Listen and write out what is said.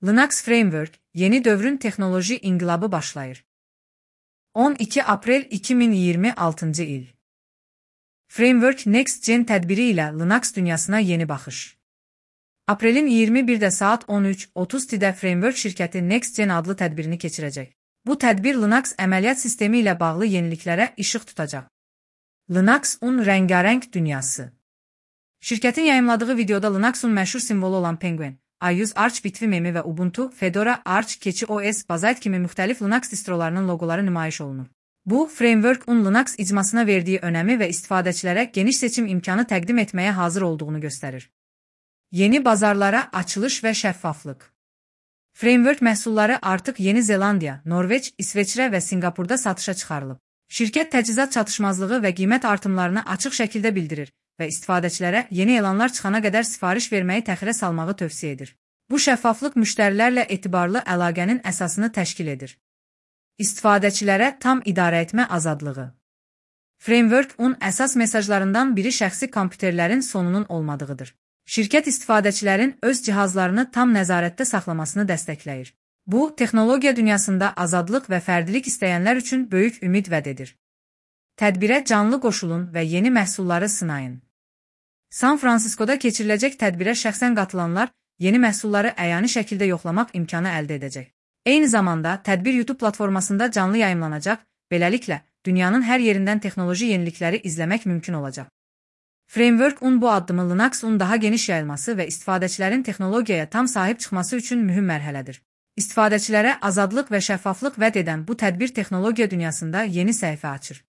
Linux Framework, yeni dövrün texnoloji inqilabı başlayır. 12 Aprel 2026 il. Framework Next Gen tədbiri ilə Linux dünyasına yeni baxış. Aprelin 21-də saat 13:30-də Framework şirkəti Next Gen adlı tədbirini keçirəcək. Bu tədbir Linux əməliyyat sistemi ilə bağlı yeniliklərə işıq tutacaq. Linux'un rəngarəng dünyası. Şirkətin yayımladığı videoda Linux'un məşhur simvolu olan Penguin, iOS Arch bitvi memi və Ubuntu, Fedora, Arch, keçi OS, Bazaid kimi müxtəlif Linux distrolarının loqoları nümayiş olunur. Bu, Framework'un Linux icmasına verdiyi önəmi və istifadəçilərə geniş seçim imkanı təqdim etməyə hazır olduğunu göstərir. Yeni bazarlara açılış və şəffaflıq. Framework məhsulları artıq Yeni Zelandiya, Norveç, İsveçrə və Singapurda satışa çıxarılıb. Şirkət təchizat çatışmazlığı və qiymət artımlarını açıq şəkildə bildirir və istifadəçilərə yeni elanlar çıxana qədər sifariş verməyi təxirə salmağı tövsiyə edir. Bu şəffaflıq müştərilərlə etibarlı əlaqənin əsasını təşkil edir. İstifadəçilərə tam idarəetmə azadlığı. Framework'un əsas mesajlarından biri şəxsi kompüterlərin sonunun olmadığıdır. Şirkət istifadəçilərin öz cihazlarını tam nəzarətdə saxlamasını dəstəkləyir. Bu, texnologiya dünyasında azadlıq və fərdilik istəyənlər üçün böyük ümid vəd edir. Tədbirə canlı qoşulun və yeni məhsulları sınayın. San Fransiskoda keçiriləcək tədbirə şəxsən qatılanlar yeni məhsulları əyani şəkildə yoxlamaq imkanı əldə edəcək. Eyni zamanda, tədbir YouTube platformasında canlı yayımlanacaq, beləliklə, dünyanın hər yerindən texnoloji yenilikləri izləmək mümkün olacaq. Framework'un bu addımı Linux'un daha geniş yayılması və istifadəçilərin texnologiyaya tam sahib çıxması üçün mühüm mərhələdir. İstifadəçilərə azadlıq və şəffaflıq vəd edən bu tədbir texnologiya dünyasında yeni səhifə açır.